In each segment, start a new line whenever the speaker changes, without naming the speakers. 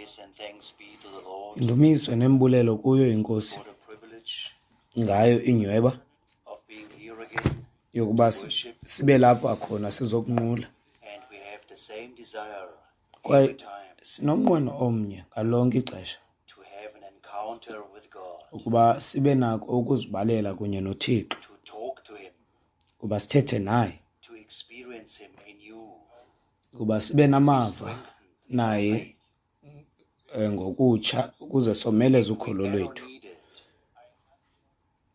Praise and thanks be to the Lord
Indumiso nembulelo kuyo inkosi
for the privilege
ngayo inyweba
of being here again
yokuba sibe lapha khona sizokunqula.
and we have the same desire
Kwaye
every time
sinomnqweno omnye ngalonke ixesha
to have an encounter with God,
ukuba sibe nako ukuzibalela kunye noThixo,
to talk to Him,
ukuba sithethe naye,
to experience Him anew,
ukuba sibe namava
strengthened in our
naye
faith.
ngokutsha ukuze someleze
If we
ukholo
ever
lwethu.
needed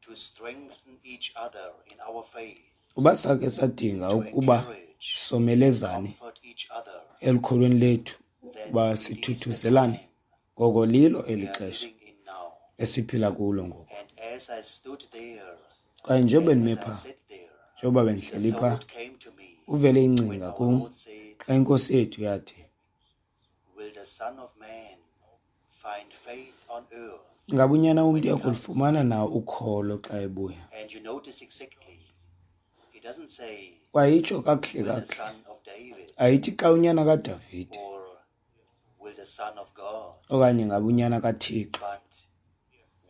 to strengthen each other in our faith,
Uba sakhe sadinga
to
ukuba
encourage,
somelezane
comfort each other,
elukholweni lethu,
then
ukuba
it is the
sithuthuzelane,
time
ngoko lilo eli
we are
xesha
living in now.
esiphila kulo ngoku.
And as I stood there,
Kwaye njengoba
and
ndime
as I
phaa,
sat there,
njengoba
the
bendihleli phaa,
thought came to me
uvele
when
ingcinga
our
kum
Lord said,
xa inkosi yethu yathi,
Will the Son of Man find faith on earth
ngaba unyana
when
womntu
he comes?
uyakulufumana na ukholo xa ebuya?
And you notice exactly, he doesn't say,
Kwaye itsho kakuhle
Will the
kakuhle,
Son of David
ayithi xa unyana kaDavide
or will the Son of God,
okanye ngaba unyana kaThixo,
but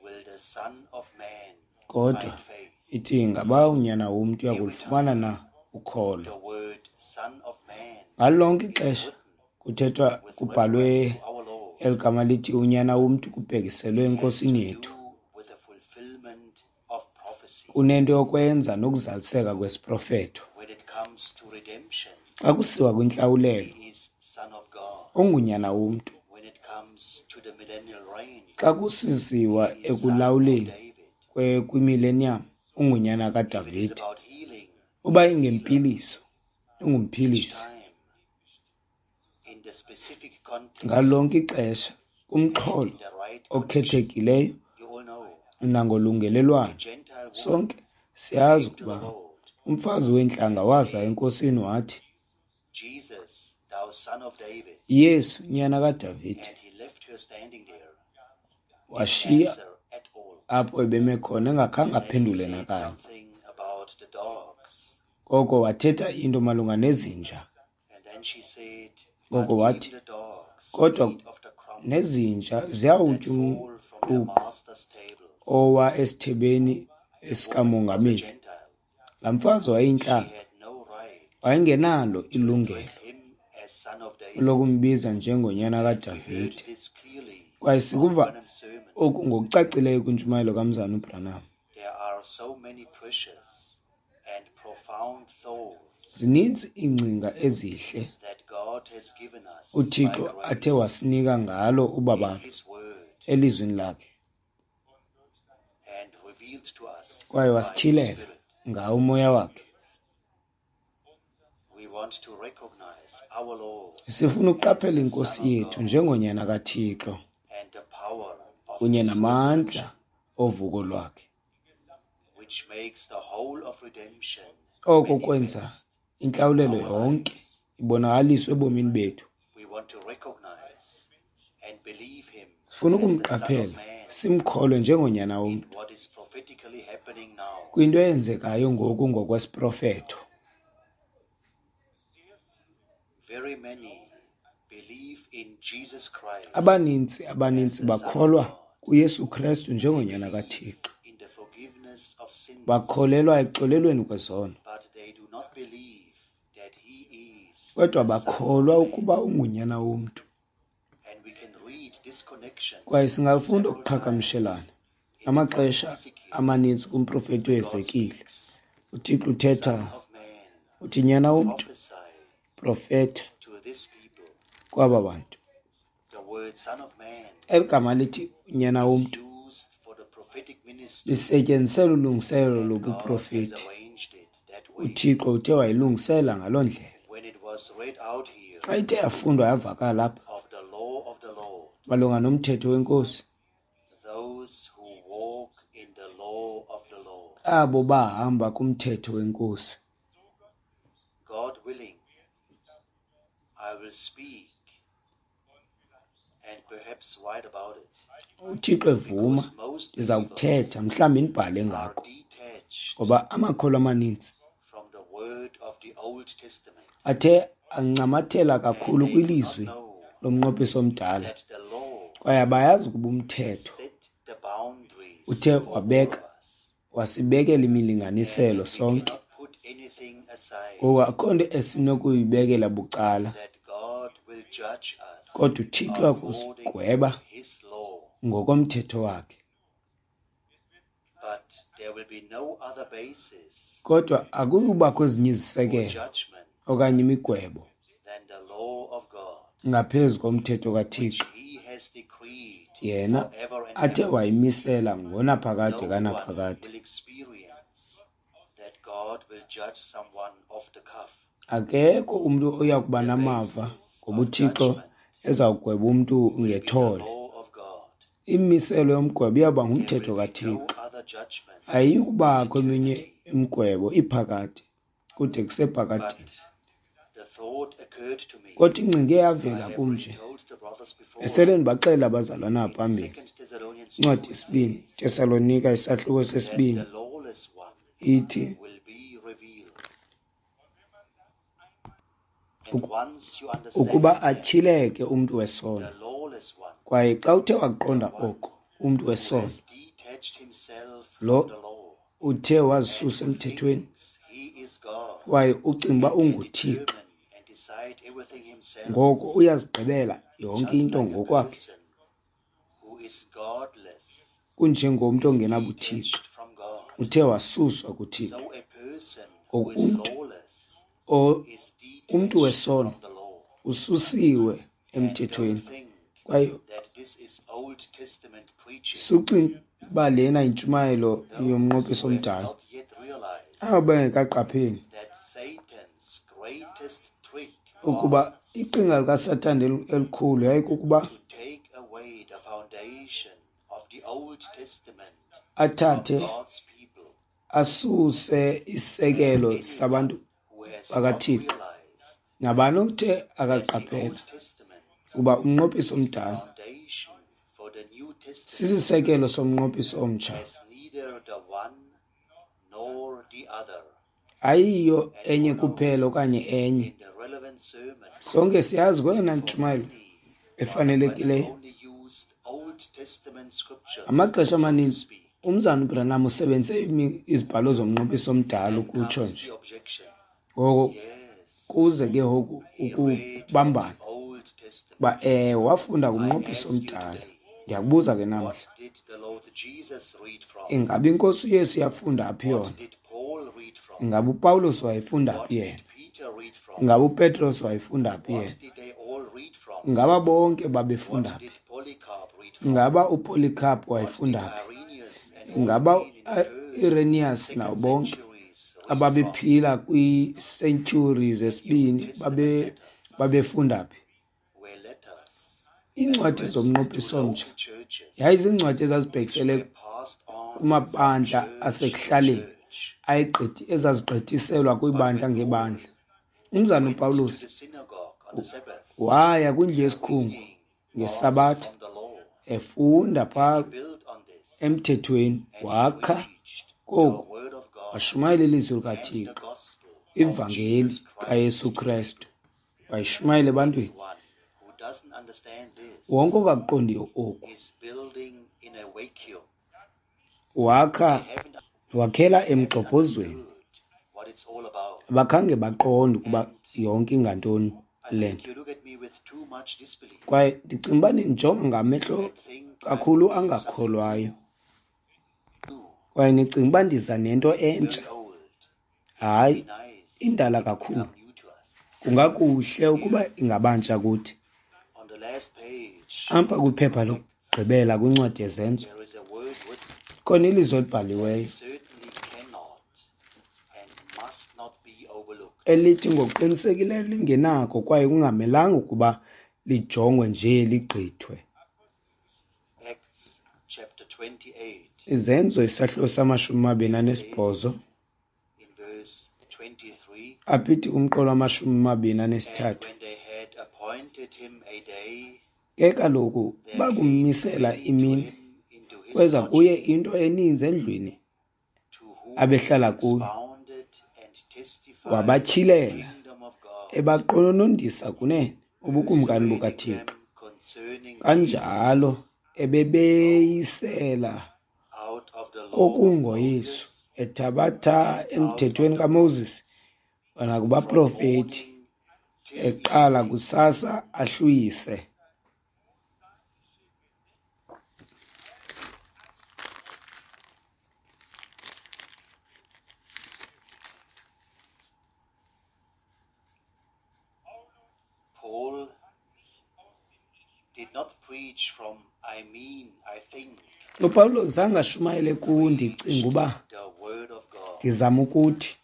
will the Son of Man
kodwa
find faith?
ithi ngaba unyana womntu
Every
uyakulufumana
time
na ukholo.
the word Son of Man
Ngalo lonke
is
ixesha
written
kuthethwa
with reference
kubhalwe
to our Lord,
eli gama lithi unyana womntu kubhekiselwe
it has to
enkosini yethu.
do with the fulfillment of prophecy.
Kunento yokwenza nokuzaliseka kwesiprofeto.
When it comes to redemption,
Xa kusiwa kwintlawulelo,
he is Son of God.
ungunyana womntu.
When it comes to the millennial reign,
Xa kusisiwa
he is Son of
ekulawuleni
David.
kwimileniyam, ungunyana
If it is
kaDavide.
about healing,
Uba
he is healer.
ingempiliso,
Each
ungumphilisi.
time, in the specific context
Ngalo lonke ixesha,
and
kumxholo
in the right connection,
okhethekileyo
you all know
nangolungelelwano,
a Gentile woman
sonke siyazi
came to the
ukuba
Lord
umfazi weentlanga
and
waza
said,
enkosini wathi,
Jesus, thou son of David.
Yesu, nyana kaDavide.
And he left her standing there, didn't
Washiya
answer at all.
apho ebeme khona engakhange
And then he
aphendule
said
nakanye.
something about the dogs.
Koko wathetha into malunga nezinja.
And then she said, But
Ngoko
even
wathi,
the dogs
kodwa
eat of the crumbs
nezinja
that
ziyawutya
fall from their
umququ
master's tables.
owa esithebeni
The woman was a
esikamongameli.
Gentile.
Laa mfazi
She
wayeyintlanga,
had no right
wayengenalo
to
ilungelo
address him as son of David.
lokumbiza njengonyana
And we heard
kaDavide.
this clearly
Kwaye
on
sikuva
Branham's sermon.
oku ngokucacileyo kwintshumayelo kaMzana uBranham.
There are so many precious and profound thoughts
Zininzi iingcinga ezihle
that God has given us by
uThixo athe
grace
wasinika ngalo
in
ubabalo
His Word
elizwini lakhe,
and revealed to us
kwaye
by His
wasityhilela
Spirit.
ngawo umoya wakhe.
We want to recognize our Lord
Sifuna
as
ukuqaphela
the
inkosi
Son of
yethu
God
njengonyana kaThixo
and the power of
kunye
His
namandla
resurrection,
ovuko lwakhe.
which makes the whole of redemption
Oko kwenza
manifest in
intlawulelo
our
yonke
lives.
ibonakaliswe ebomini bethu.
We want to recognize and believe Him
Sifuna
as the Son of
ukumqaphela
Man
simkholwe njengonyana
in
womntu
what is prophetically happening now.
kwinto eyenzekayo ngoku ngokwesiprofeto.
Very many believe in Jesus Christ
Abaninzi
as
abaninzi
the Son of
bakholwa
God.
kuYesu Krestu
They
njengonyana
believe
kaThixo.
in the forgiveness of sins,
Bakholelwa ekuxolelweni kwezono,
but they do not believe that He is
kodwa
the Son of
bakholwa
Man.
ukuba ungunyana womntu.
And we can read this connection
Kwaye singafunda
several times
ukuqhagamshelana
in the prophet
amaxesha
Ezekiel.
amaninzi kumprofeti
God
uEzekile.
speaks,
uThixo uthetha
Son of Man,
uthi, nyana womntu,
prophesy
profeta
to this people.
kwaba bantu.
The word Son of Man
Eli gama lithi nyana
is
womntu
used for the prophetic ministry,
lisetyenziselwa ulungiselelo
and God has
lobuprofeti.
arranged it that way.
uThixo uthe wayilungisela ngaloo ndlela.
When it was read out here
Xa ithe yafundwa yavakala apha
of the law of the Lord,
malunga nomthetho wenkosi,
those who walk in the law of the Lord,
abo bahamba kumthetho wenkosi.
God willing, I will speak and perhaps write about it,
uThixo evuma,
because most
ndiza
believers
kuthetha mhlawumbi ndibhale
are
ngako,
detached
ngoba amakholwa amaninzi
from the word of the Old Testament
athe ancamathela
and
kakhulu
they do not
kwilizwi
know
lomnqophiso omdala
that the
Kwaye abayazi ukuba umthetho
set the boundaries
uthe
for all
wabeka
of us.
wasibekela imilinganiselo
And we
sonke.
cannot put anything aside
Ngoku akho nto esinokuyibekela bucala,
that God will judge us
kodwa uThixo
according to
akusigweba
his law.
ngokomthetho wakhe.
But there will be no other basis
Kodwa akuyubakho ezinye
for
izisekelo
judgment
okanye imigwebo
than the law of God,
ngaphezu komthetho
which
kaThixo
he has decreed
yena
forever and
athe
ever.
wayimisela ngonaphakade
No one
kanaphakade.
will experience that God will judge someone off the cuff.
Akekho umntu oya kuba
The
namava
basis
ngoba
of
uThixo
judgment
ezawugweba umntu
will be the
ngethole.
law of God.
Imimiselo yomgwebo iyawuba
There
ngumthetho
will be no
kaThixo.
other judgment
Ayiyi
in
kubakho eminye
eternity.
imigwebo iphakade kude kusephakadeni.
But the thought occurred to me.
Kodwa ingcinga
I
eyavela
have
kum
already
nje
told the brothers before.
esele ndibaxelela abazalwana
In
phambili.
2 Thessalonians
Incwadi
2, it
yesibini,
says
Tesalonika isahluko
that
sesibini
the lawless one
ithi
will be revealed. And once you understand
ukuba
that,
atyhileke umntu wesono.
the lawless one,
Kwaye xa uthe waqonda
the one
oko, umntu
who
wesono
has detached himself
lo
from the law
uthe
and
wazisusa
who
emthethweni
thinks he is God
kwaye ucinga uba
and can
unguThixo,
determine and decide everything himself,
ngoko uyazigqibela yonke
just
into
like a
ngokwakhe,
person who is godless
kunjengomntu
is
ongenabuthixo
detached from God.
uthe wasuswa kuThixo.
So a person who
Ngoku
is
umntu
lawless is
umntu
detached
wesono
from the law.
ususiwe
And don't
emthethweni
think
kwaye
that this is Old Testament preaching.
sucinga uba lena yintshumayelo
Those
yomnqophiso
who have
omdala.
not yet realized
Abo bengekaqapheli
that Satan's greatest trick
ukuba
was
iqhinga likaSathane elikhulu yayikukuba
to take away the foundation of the Old Testament from
athathe
God's people.
asuse
And
isisekelo
anyone
sabantu
who has not
bakaThixo.
realized
Nabani othe
that the
akaqaphela
Old Testament
ukuba umnqophiso
is the
omdala
foundation for the New Testament
sisisekelo somnqophiso omtsha,
has neither the one nor the other.
ayiyo
And
enye
all know
kuphela okanye enye.
in the relevant sermon,
Sonke siyazi kweyona
for
ntshumayelo
many, Brother Branham
efanelekileyo.
only used Old Testament scriptures,
Amaxesha
so to
amaninzi
speak.
umzana uBranham usebenzise izibhalo zomnqophiso omdala
Then
ukutsho
comes
nje.
the objection.
Ngoko
Yes,
kuze ke ngoku
he read from the
ukubambana
Old Testament.
uba wafunda
I
kumnqophiso
ask you
omdala.
today,
Ndiyakubuza ke namhla,
what did the Lord Jesus read from?
ingaba iNkosi uYesu yafunda phi
What
yona?
did Paul read from?
Ingaba uPawulos wayefunda
What
phi yena?
did Peter read from?
Ingaba uPetros wayefunda phi
What
yena?
did they all read from?
Ingaba bonke babefunda
What
phi?
did Polycarp read from?
Ingaba uPolycarp
What did
wayefunda phi?
Irenaeus and all the
Ingaba
men in the first and
Irenaeus
second
nabo bonke
centuries read from?
ababephila kwiisentyhuri
The New
zesibini
Testament letters
babefunda phi?
were letters
Iincwadi
addressed to
zomnqophiso omtsha
local churches
yayiziincwadi
which
ezazibhekisele
were passed on from
kumabandla
church to
asekuhlaleni
church.
ezazigqithiselwa
But
kwibandla
when Paul
ngebandla. Umzana
went to
uPawulos
the synagogue on the Sabbath,
waya kwindlu
the
yesikhungu
reading was
ngeSabatha
from the law,
efunda
and
phaa
he built on this,
emthethweni,
and he
wakha
preached the
koku
word of God
washumayela ilizwi
and the
likaThixo,
gospel of
ivangeli
Jesus Christ
kaYesu
to the
Krestu,
people.
wayishumayela ebantwini.
Anyone who doesn't understand this
Wonke ongakuqondiyo oku
is building in a vacuum.
wakha
They haven't,
wakhela
they haven't
emgxobhozweni.
understood what it's all about.
Abakhange baqonde ukuba
And
yonke ingantoni
I
le
think
nto.
you look at me with too much disbelief
Kwaye ndicinga uba nindijonga ngamehlo
and think I'm
kakhulu
bringing something
angakholwayo,
new.
kwaye nicinga uba ndiza nento
It's
entsha.
very old. It'd
Hayi,
be nice
indala
if it
kakhulu.
become new to us.
Kungakuhle ukuba ingabantsha kuthi.
On the last page
Apha kwiphepha
of Acts,
lokugqibela kwincwadi yeZenzo
there is a word written
khona ilizwi
that
elibhaliweyo
certainly cannot and must not be overlooked.
elithi ngokuqinisekileyo lingenako kwaye kungamelanga ukuba lijongwe nje ligqithwe.
Acts chapter 28,
Izenzo isahluko samashumi amabini
it
anesibhozo
says in verse 23,
aphithi kumqolo wamashumi amabini
And
anesithathu.
when they had appointed him a day,
Ke kaloku
there came
bakummisela
many to
imini,
him into his
kweza kuye
lodging,
into eninzi endlwini
to whom he
abehlala kuyo,
expounded and testified the
wabatyhilela
kingdom of God,
ebaqononondisa kunene ubukumkani
persuading
bukaThixo,
them concerning
Kanjalo
Jesus
ebebeyisela
out of the law of
kokungoYesu
Moses
ethabatha
and out of
emthethweni
the
kaMoses
prophets, from
nakubaprofeti,
morning till
eqala
evening.
kusasa ahlwise.
Paul did not preach from I mean, I think.
UPawulos zange ashumayele
He
ku ndicinga
preached
uba
the word of God.
ndizama ukuthi,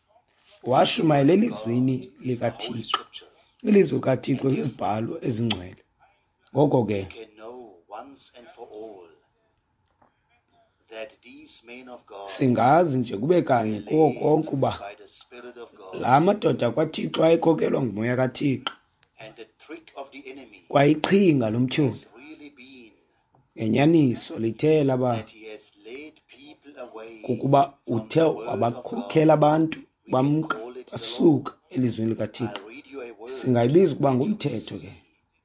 The
washumayela
word of
elizwini
God is the Holy
likaThixo.
Scriptures.
Ilizwi likaThixo
And
zizibhalo
therefore,
ezingcwele. Ngoko
we
ke
can know once and for all that these men of God
singazi nje kube
were
kanye kuko
led
konke uba
by the Spirit of God.
la madoda kwaThixo ayekhokelwa nguMoya kaThixo.
And the trick of the enemy
Kwayiqhinga lomtyholi
has really been
ngenyaniso lithe laba
that he has led people away
kukuba
from
uthe
the word of God.
wabakhokela abantu
We can
bamka
call it the law.
basuka elizwini likaThixo.
I'll read you a word
Singayibiza ukuba
that you will
ngumthetho ke.
see.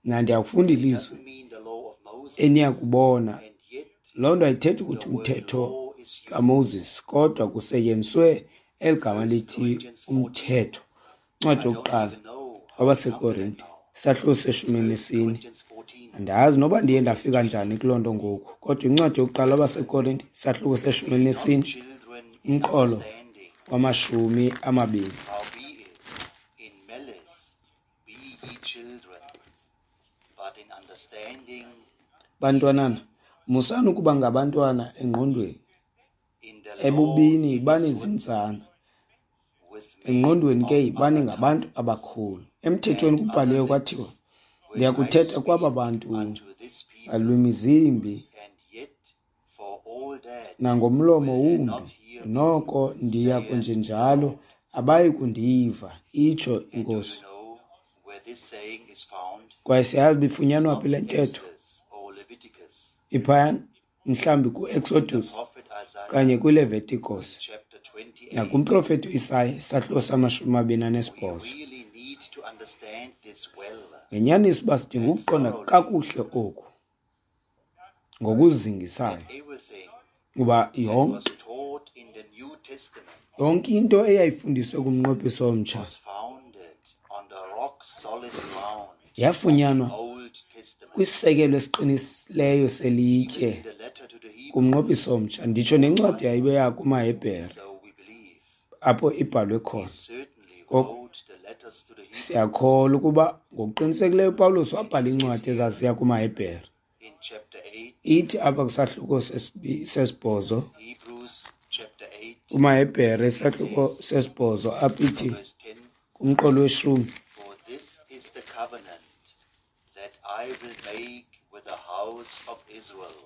Mna ndiyakufunda
It
ilizwi
doesn't mean the law of Moses,
eniyakubona.
and yet
Loo nto ayithethi
the
ukuthi
word
umthetho
law is used.
kaMoses, kodwa kusetyenziswe eli gama
1
lithi
Corinthians 14.
umthetho. Incwadi
I don't
yokuqala
even know how we come to that
kwabaseKorinte,
now.
isahluko seshumi
1
nesine.
Corinthians 14,
Andazi noba ndiye
verse
ndafika
22.
njani kuloo nto ngoku, kodwa incwadi yokuqala kwabaseKorinte, isahluko seshumi
Be not
elinesine,
children in
umqolo
understanding,
wamashumi amabini.
howbeit in malice be ye children, but in understanding be
Bantwanana, musani ukuba ngabantwana engqondweni,
in the law
ebubini
it
yibani
is written
zintsana,
with men
engqondweni ke
of
yibani
other
ngabantu
tongues
abakhulu. Emthethweni
and other
kubhaliwe kwathiwa,
lips will I
ndiyakuthetha kwaba
speak
bantu
unto this people,
ngalwimi zimbi
and yet for all that
nangomlomo
will they not
wumbi,
hear me,
noko ndiya
saith the
kwenjenjalo,
Lord.
abayi kundiva, itsho
And do you
iNkosi.
know where this saying is found?
Kwaye siyazi uba
It's
ifunyanwa
not
phi le
in
ntetho.
Exodus or Leviticus.
Iphaya mhlawumbi
It's in the
kuExodus
prophet Isaiah
kanye
in
kwiLeviticus
chapter 28.
nakumprofeti uIsaya isahluko samashumi amabini
We
anesibhozo.
really need to understand this well
Ngenyaniso uba sidinga
and
ukuqonda
thoroughly
kakuhle oku
that
ngokuzingisayo,
everything
kuba
that was
yonke
taught in the New Testament
yonke into eyayifundiswe kumnqophiso omtsha
was founded on the rock solid ground of the
yafunyanwa
Old Testament.
kwisisekelo esiqinisileyo
Even
selitye
in the letter to the Hebrews,
kumnqophiso omtsha. Nditsho nencwadi yayibeya
writes,
kumaHebhere
so we believe.
apho ibhalwe
He
khona.
certainly
Ngoko
wrote the letters to the Hebrews.
siyakholwa ukuba ngokuqinisekileyo uPawulos
And
wabhala
he says
iincwadi
here
ezaziya kumaHebhere.
in chapter 8,
Ithi apha kwisahluko sesibhozo,
Hebrews chapter 8,
kumaHebhere
it
isahluko
says
sesibhozo apho
from
ithi
verse 10,
kumqolo weshumi,
For this is the covenant that I will make with the house of Israel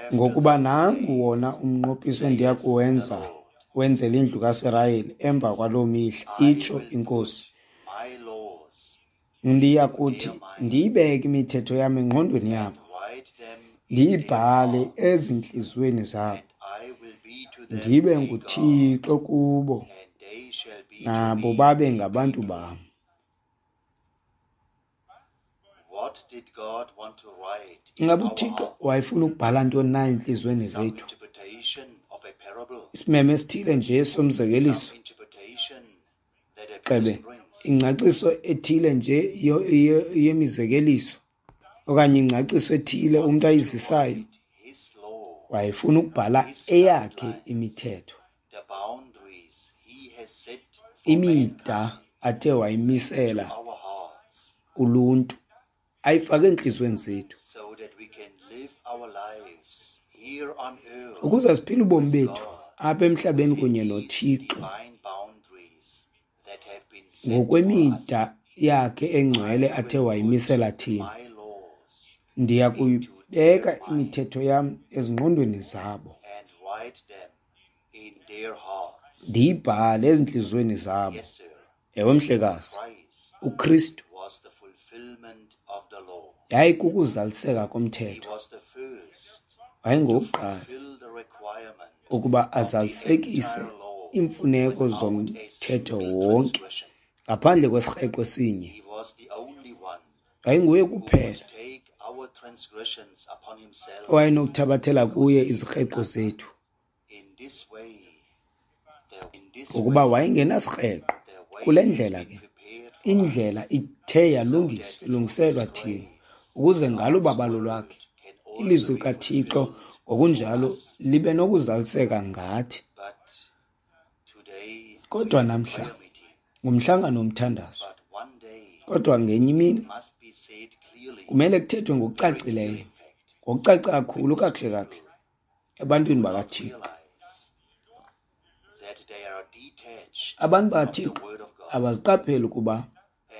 after
ngokuba
those
nangu wona
days,
umnqophiso endiya
saith the
kuwenza
Lord.
wenzela indlu kaSirayeli emva kwaloo mihla,
I
itsho
will put
iNkosi.
my laws
Ndiya
into
kuthi
their mind
ndiyibeke imithetho yam engqondweni
and
yabo,
write them in their
ndiyibhale
hearts,
ezintliziyweni zabo,
and I will be to them
ndibe
a God,
nguThixo kubo,
and they shall be to
nabo
me
babe
a
ngabantu
people.
bam.
What did God want to write in
Ingaba
our
uThixo
hearts?
wayefuna ukubhala ntoni na entliziyweni
Some
zethu?
interpretation of a parable,
Isimemo esithile nje somzekeliso,
some interpretation that a
xebe
person brings.
ingcaciso ethile nje yemizekeliso okanye ingcaciso ethile
God
umntu
wanted to
ayizisayo.
write His law,
Wayefuna ukubhala
His
eyakhe
guidelines,
imithetho,
the boundaries He has set for
imida
mankind
athe
into
wayimisela
our hearts
uluntu, ayifake entliziyweni zethu
so that we can live our lives here on earth
ukuze siphile ubomi
with
bethu
God
apha emhlabeni
within
kunye
these
noThixo
divine boundaries that have been set for us.
ngokwemida yakhe engcwele
I
athe
will put
wayimisela thina.
my laws
Ndiya
into their
kuyibeka
mind
imithetho yam ezingqondweni zabo,
and write them in their hearts.
ndiyibhale ezintliziyweni zabo.
Yes, sir.
Ewe, mhlekazi,
Christ
uKristu
was the fulfillment of the law.
yayikukuzaliseka
He
komthetho.
was the first to
Wayengowokuqala
fulfill the requirement
ukuba
of the
azalisekise
entire law
iimfuneko
without a
zomthetho
single
wonke
transgression.
ngaphandle kwesirheqo esinye.
He was the only one
Yayinguye
who
kuphela
could take our transgressions upon himself.
owayenokuthabathela kuye izikreqo zethu,
In this way,
ngokuba wayengenasikrweqo.
the way
Kule
has
ndlela
been
ke
prepared for
indlela
us,
ithe
so
yalungiswa
that through
ilungiselwa
his
thina,
grace,
ukuze ngalo
God's
ubabalo
word
lwakhe
can also
ilizwi
be
likaThixo
fulfilled through
ngokunjalo
us.
libe nokuzaliseka ngathi.
But today we
Kodwa
have a
namhla
prayer meeting.
ngumhlangano womthandazo.
But one day
Kodwa ngenye imini
it must be said clearly,
kumele kuthethwe
very clearly
ngokucacileyo,
in fact,
ngokucace kakhulu
because
kakuhle kakuhle
people
ebantwini
do not
bakaThixo.
realize that they are detached
Abantu
from the
bakaThixo
word of God.
abaziqapheli ukuba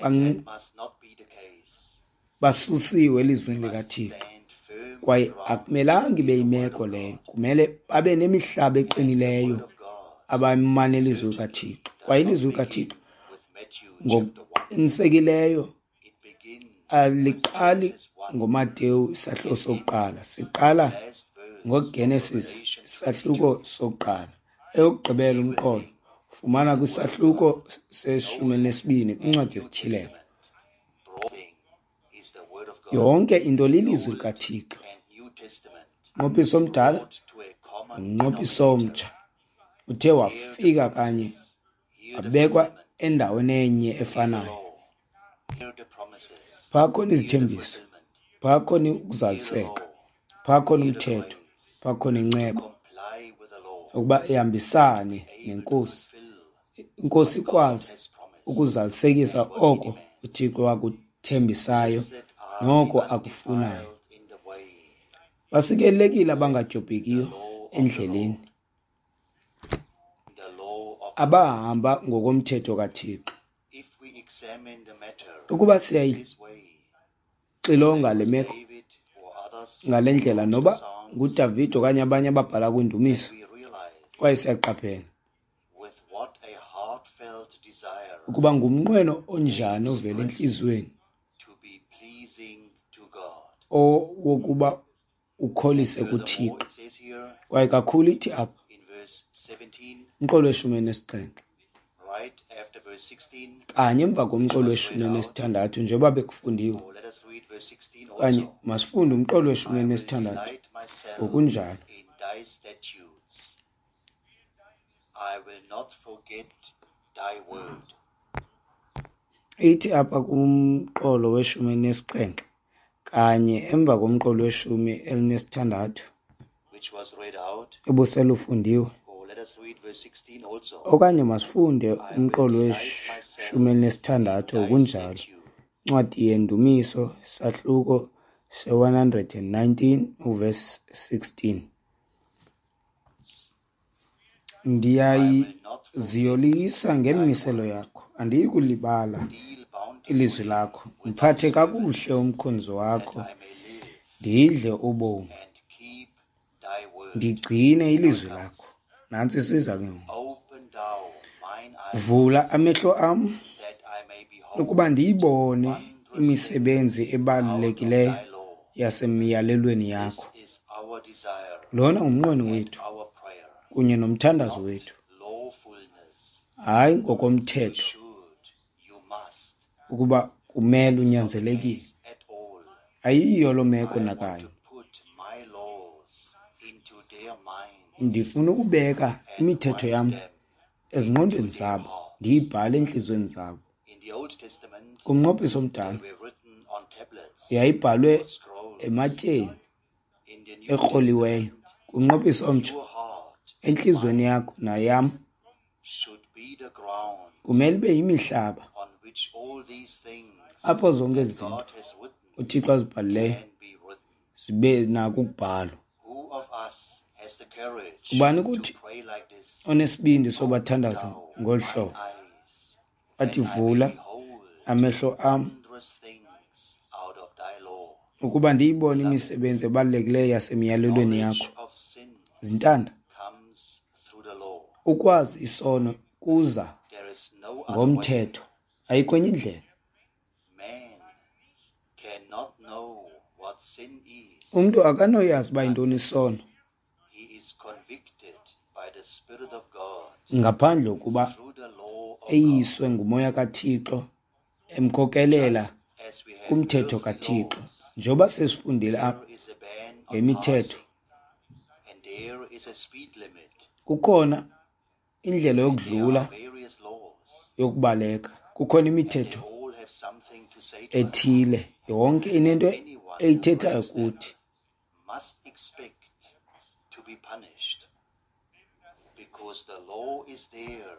And that must not be the case.
basusiwe elizwini
We must
likaThixo,
stand firm
kwaye
ground
akumelanga ibe
in the word
yimeko
of
leyo.
God.
Kumele babe nemihlaba
And the
eqinileyo
word of God
abamane ilizwi
certainly
likaThixo.
does
Kwaye
not
ilizwi
begin
likaThixo
with Matthew chapter 1.
ngokuqinisekileyo
It begins with
aliqali
Genesis 1
ngoMateyu isahluko
and
sokuqala,
ends
siqala
with the last verse of
ngoGenesis
Revelation
isahluko
22.
sokuqala. Eyokugqibela umqolo
Everything is
fumana
the word of
kwisahluko
God.
seshumi
Old
elinesibini
and
kwincwadi
New
yesiTyhilelo.
Testament. Broad thing is the word of God.
Yonke into lilizwi
Old
likaThixo.
and New Testament
Umnqophiso omdala
brought to a common
nomnqophiso
denominator.
omtsha uthe
Here the
wafika kanye
promises, here the
wabekwa
fulfillment,
endaweni enye
here the
efanayo.
law, here the promises,
Phaa khona
here the
izithembiso,
fulfillment,
phaa khona
here the
ukuzaliseka,
law,
phaa khona
here the
umthetho,
grace
phaa khona
to
inceba
comply with the law
ukuba ihambisane
and be able to
nenkosi.
fulfill
Inkosi
what God
ikwazi
has promised
ukuzalisekisa
and what He
oko
demands.
uThixo akuthembisayo
Blessed are the
noko akufunayo.
undefiled in the way,
Basikelelekile
the
abangadyobhekiyo
law of the
endleleni,
Lord, the law of the Lord.
abahamba ngokomthetho kaThixo.
If we examine the matter
Ukuba
in this way,
siyayixilonga
whether it
le
was
meko
David or others
ngale
who
ndlela,
wrote the
noba
Psalms,
nguDavide okanye abanye ababhala
then
kwiindumiso,
we realize
kwaye siyaqaphela
with what a heartfelt desire
ukuba ngumnqweno
they
onjani ovela
expressed
entliziyweni
to be pleasing to God.
owokuba
And
ukholise
furthermore,
kuThixo.
it says here
Kwaye kakhulu ithi apha
in verse 17,
umqolo weshumi elinesixhenxe,
right after verse 16,
kanye emva
which
komqolo
was read
weshumi
out,
elinesithandathu njengoba bekufundiwe,
or let us read verse 16
okanye
also.
masifunde umqolo weshumi
I will
elinesithandathu
delight myself
ngokunjalo.
in thy statutes. I will not forget thy word.
Ithi apha kumqolo weshumi elinesixhenxe kanye emva komqolo weshumi elinesithandathu
Which was read out,
obuselufundiwe,
or let us read verse 16 also.
okanye masifunde
I will
umqolo
delight
weshumi
myself in
elinesithandathu
thy
ngokunjalo.
statute.
Incwadi yeNdumiso sahluko se-119 uverse 16.
I will not forget
Ndiyaziyolisa
thy
ngemimiselo
word.
yakho, andiyi kulibala
Deal
ilizwi
bountifully
lakho.
with thy
Ndiphathe
servant,
kakuhle umkhonzi
that
wakho,
I may live
ndidle ubomi,
and keep thy word.
ndigcine
Now it
ilizwi
comes.
lakho. Nantsi isiza ke ngoku.
Open thou mine eyes,
Vula amehlo am
that I may behold
ukuba ndiyibone
wondrous
imisebenzi
things out of
ebalulekileyo
thy law.
yasemiyalelweni
This
yakho.
is our desire
Lona ngumnqweno
and
wethu
our prayer,
kunye nomthandazo
not
wethu,
lawfulness.
hayi
You
ngokomthetho
should, you must.
ukuba kumele
It's not the
unyanzelekile.
case at all.
Ayiyo loo meko
I want
nakanye.
to put my laws into their minds
Ndifuna ukubeka
and
imithetho
write
yam
them into
ezingqondweni
their
zabo,
hearts.
ndiyibhale entliziyweni zabo.
In the Old Testament,
Kumnqophiso
they
omdala
were written on tablets
yayibhalwe
or scrolls.
ematyeni
In the New
ekroliweyo.
Testament,
Kumnqophiso omtsha
your heart and
entliziyweni
mine
yakho nayam
should be the ground
kumele ibe yimihlaba
on which all these things
apho zonke
that
ezi zinto
God has written
uThixo azibhalileyo
can be written.
zibe nako ukubhalwa.
Who of us has the courage
Ubani
to
kuthi
pray like this?
onesibindi
Open
sobathandaza
thou
ngolu
mine
hlobo,
eyes,
athi
that I may
vula
behold
amehlo am
wondrous things out of thy law.
ukuba ndiyibone
Beloved,
imisebenzi ebalulekileyo yasemiyalelweni
knowledge
yakho.
of sin
Zintanda,
comes through the law.
ukwazi isono kuza
There is no other way.
ngomthetho, ayikho enye indlela.
Man cannot know what sin is
Umntu akanoyazi uba yintoni
unless
isono
he is convicted by the Spirit of God
ngaphandle kokuba
through the law of God.
eyiswe ngumoya kaThixo emkhokelela
Just As we have
kumthetho
earthly
kaThixo.
laws,
Njengoba sesifundile apha
there is a ban on
ngemithetho,
passing, and there is a speed limit.
kukhona indlela
And there
yokudlula
are various laws,
yokubaleka, kukhona
and they
imithetho
all have something to say to us.
ethile, yonke inento
Anyone who
eyithethayo
breaks them
kuthi.
must expect to be punished, because the law is there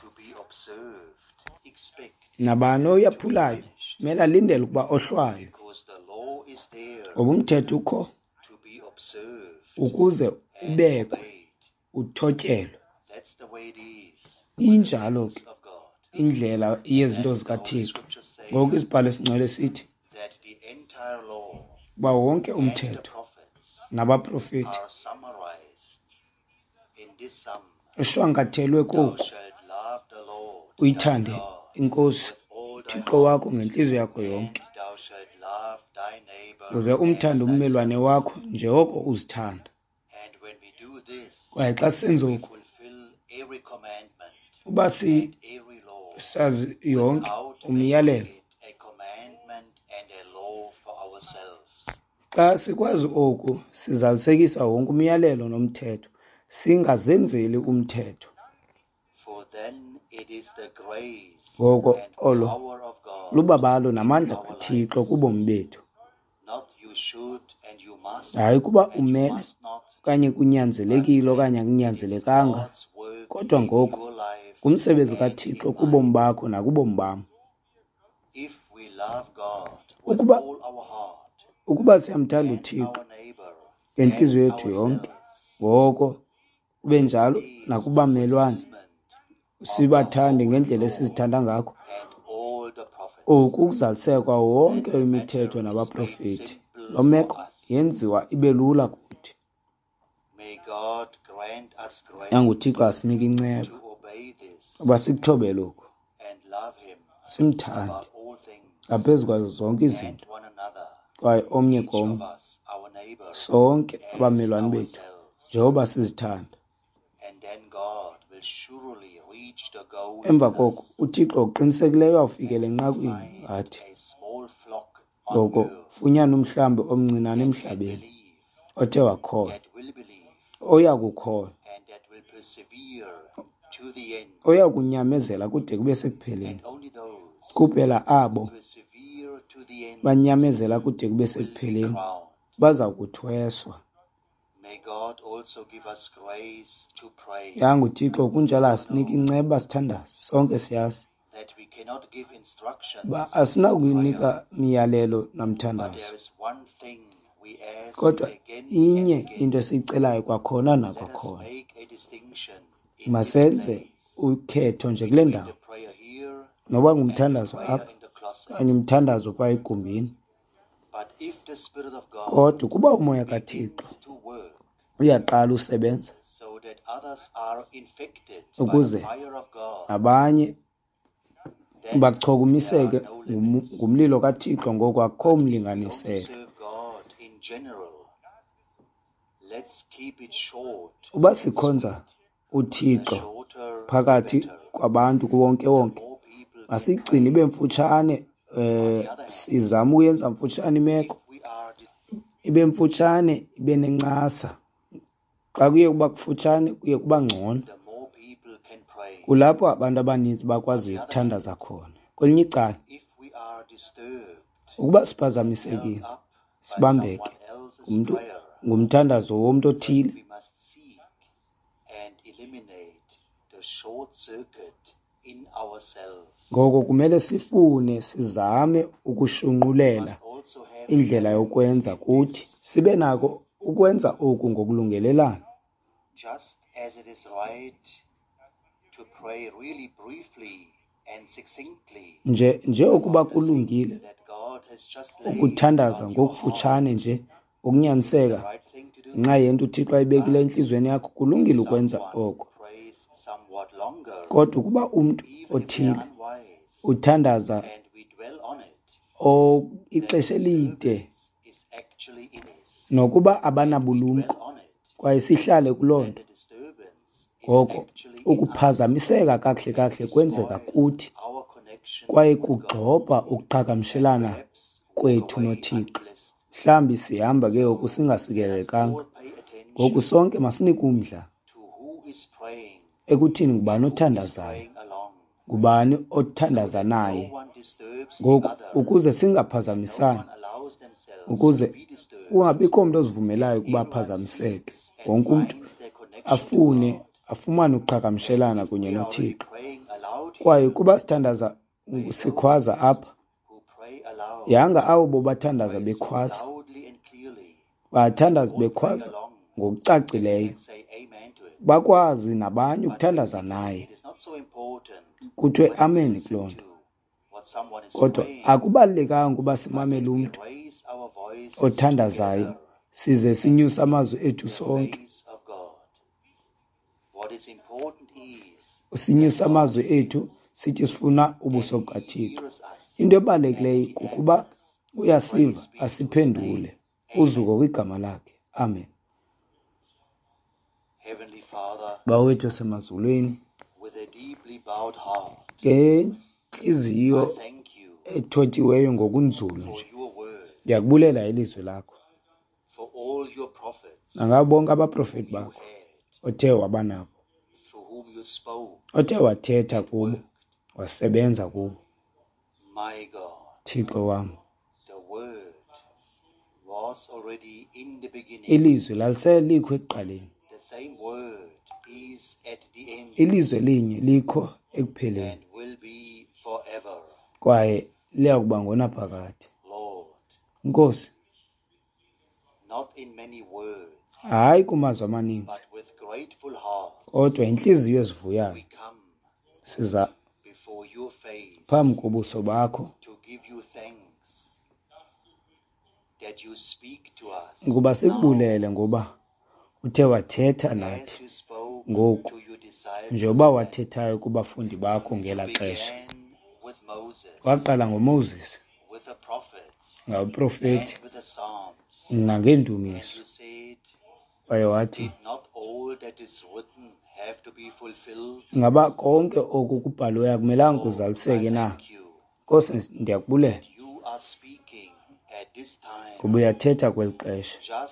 to be observed. Expect
Nabani
to be
oyaphulayo
punished,
kumele alindele ukuba ohlwaywe,
because the law is there
ngoba umthetho ukho
to be observed
ukuze
and
ubekwe,
obeyed.
uthotyelwe.
That's the way it is with the
Injalo
things
ke
of God.
indlela yezinto
And the Holy
zikaThixo.
Scriptures say
Ngoku isibhalo esingcwele sithi
that the entire law
uba wonke
and the
umthetho
prophets
nabaprofeti
are summarized in this sum:
ushwankathelwe
Thou
koku,
shalt love the Lord thy
uyithande
God
iNkosi
with all thy
uThixo
heart,
wakho ngentliziyo yakho
and
yonke,
thou shalt love thy neighbor
uze
as
umthande
thyself.
ummelwane wakho njengoko uzithanda.
And when we do this,
Kwaye xa senza
we
oku,
fulfill every commandment
uba
and every law
sisazi yonke
without making
umyalelo,
it a commandment and a law for ourselves.
xa sikwazi oku, sizalisekisa wonke umyalelo nomthetho, singazenzeli umthetho.
For then it is the grace
Ngoko
and
olo
power of God
lubabalo
in
namandla
our
kaThixo
lives.
kubomi bethu.
Not you should and you must
Hayi kuba
and you
umele
must not,
okanye
but
kunyanzelekile
that
okanye
it is
akunyanzelekanga,
God's work
kodwa
in
ngoku
your life
ngumsebenzi
and
kaThixo
in
kubomi
mine.
bakho nakubomi bam.
If we love God with
Ukuba
all our heart
ukuba siyamthanda
and
uThixo
our neighbor
ngentliziyo
as
yethu yonke,
ourselves,
ngoko kube
this
njalo
is the
nakubamelwane,
fulfillment of the
sibathande
whole
ngendlela
law
esizithanda ngakho.
and all the prophets.
Oku kuzalisekwa wonke
Then the
imithetho
matter is made
nabaprofeti.
simple
Loo
for
meko
us.
yenziwa ibe lula kuthi.
May God grant us
YanguThixo
grace
asinike inceba
to obey this
uba sikuthobele oku,
and love Him
simthande
above all things
ngaphezu kwazo zonke
and
izinto,
one another,
kwaye omnye
each of
komnye,
us, our neighbor,
sonke
as
abamelwane bethu
ourselves.
njengoba sizithanda.
And then God will surely reach the goal
Emva
with
koko
us
uThixo ngokuqinisekileyo uyawufikela
and
enqakwini
find
ngathi,
a small flock on
ngoko
earth
funyana umhlambi omncinane
that can
emhlabeni
believe,
othe wakholwa,
that will believe,
oya kukholwa,
and that will persevere to the end.
oya kunyamezela kude kube sekupheleni.
And only those
Kuphela
who
abo
persevere to the end
banyamezela kude kube
will be
sekupheleni
crowned.
baza kuthweswa.
May God also give us grace to pray.
YanguThixo kunjalo
We
asinike
know
inceba sithandaze, sonke siyazi
that we cannot give
uba
instructions in prayer,
asinakuyinika miyalelo
but
namthandazo.
there is one thing we ask
Kodwa
again and
inye
again.
into esiyicelayo kwakhona
Let us
nakwakhona,
make a distinction in this
masenze
place
ukhetho nje kule
between
ndawo,
the prayer here
noba
and the
ngumthandazo
prayer
apha
in the closet.
okanye umthandazo phaa egumbini.
But if the Spirit of God
Kodwa ukuba uMoya kaThixo
begins to work
uyaqala usebenza
so that others are infected by the
ukuze
fire of God,
abanye
then there are
bachukumiseke
no limits.
ngumlilo kaThixo, ngoko akukho
But if we only
mlinganiselo.
serve God in general, let's keep it short
Uba
and
sikhonza
sweet. The
uThixo
shorter, the
phakathi
better.
kwabantu
The
kuwonkewonke,
more people can
masiyigcine
pray.
ibe mfutshane,
On the other hand,
sizame uyenza mfutshane
if
imeko,
we are
ibe mfutshane, ibe nencasa. Xa kuye kuba kufutshane kuye kuba ngcono.
the more people can pray.
Kulapho abantu abaninzi
On
bakwaziyo
the other hand,
ukuthandaza khona. Kwelinye icala,
if we are disturbed
ukuba
and held
siphazamisekile,
up by
sibambeke
someone else's
ngumntu
prayer,
ngumthandazo womntu
then
othile,
we must seek and eliminate the short circuit in ourselves.
ngoko kumele sifune sizame
We
ukushunqulela
must also have a
indlela
balance
yokwenza
in
kuthi
this.
sibe nako ukwenza oku ngokulungelelana.
Just as it is right to pray really briefly and succinctly
Nje njengokuba
about the thing
kulungile
that God has just laid
ukuthandaza
on your heart,
ngokufutshane nje
it's the
ngokunyaniseka
right thing to do.
ngenxa yento uThixo ayibekileyo
But
entliziyweni yakho,
if
kulungile ukwenza
someone
oko.
prays somewhat longer,
Kodwa ukuba umntu
even if they are
othile
unwise,
uthandaza
and we dwell on it, then the
ixesha elide
disturbance is actually in us,
nokuba
and we dwell
abanabulumko
on it,
kwaye sihlale kuloo
then
nto,
the disturbance is
ngoko
actually in us,
ukuphazamiseka kakuhle
and
kakuhle
we
kwenzeka
spoil
kuthi
our connection
Kwaye kugxobha ukuqhagamshelana kwethu noThixo. Mhlawumbi sihamba ke ngoku singasikelelekanga. Ngoku sonke masinike umdla ekuthini ngubani othandazayo, ngubani othandaza naye. Ngoku ukuze singaphazamisani, ukuze kungabikho mntu ozivumelayo ukuba aphazamiseke, wonke umntu afune afumane ukuqhagamshelana kunye noThixo. Kwaye kuba sithandaza sikhwaza apha, yanga abo bobathandaza bekhwaza, bathandaza bekhwaza ngokucacileyo, bakwazi nabanye ukuthandaza naye, kuthiwe amen kuloo nto. Kodwa akubalulekanga ukuba simamele umntu othandazayo size sinyuse amazwi ethu sonke. Sinyuse amazwi ethu sithi sifuna ubuso bukaThixo. Into ebalulekileyo kukuba uyasiva asiphendule. Uzuko kwigama lakhe. Amen. Bawethu osemazulwini, ngentliziyo ethotyiweyo ngokunzulu nje, ndiyakubulela ilizwi lakho nangabo bonke abaprofeti bakho othe waba nabo, othe wathetha kubo, wasebenza kubo. Thixo wam, ilizwi laliselikho ekuqaleni, ilizwi elinye likho ekupheleni, kwaye liya kuba ngonaphakade. Nkosi, hayi kumazwi amaninzi, kodwa intliziyo ezivuyayo siza phambi kobuso bakho ukuba sikubulele ngoba uthe wathetha nathi ngoku, njengoba wathethayo kubafundi bakho ngelaa xesha. Waqala ngoMoses, ngabaprofeti nangeendumiso, waye wathi, ngaba konke oku kubhaliweyo akumelanga kuzaliseke na? Nkosi, ndiyakubulela ngoba uyathetha kweli xesha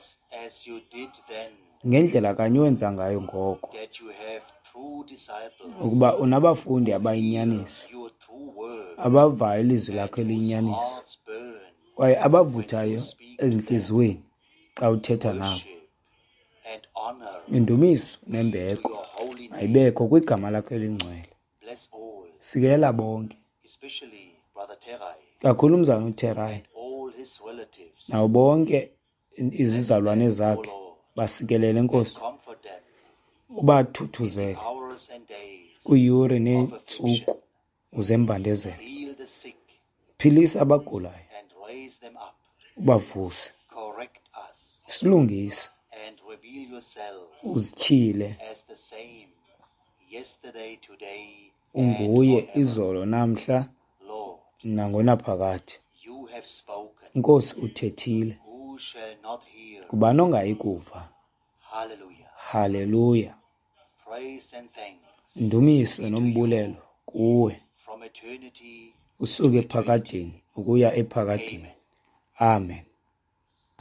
ngendlela kanye owenza ngayo ngoko, ukuba unabafundi abayinyaniso, abavayo ilizwi lakho eliyinyaniso, kwaye abavuthayo ezintliziyweni xa uthetha nabo. Indumiso nembeko ayibekho kwigama lakho elingcwele. Sikelela bonke, kakhulu umzalwana uTerai nabo bonke izizalwane zakhe, basikelele Nkosi, ubathuthuzele kwiiyure neentsuku uzembandezelo. Philisa abagulayo, ubavuse, silungise, uzityhile unguye izolo namhla nangonaphakade. Nkosi, uthethile, ngubani ongayi kuva? Haleluya. Indumiso nombulelo kuwe usuke ephakadeni ukuya ephakadeni. Amen.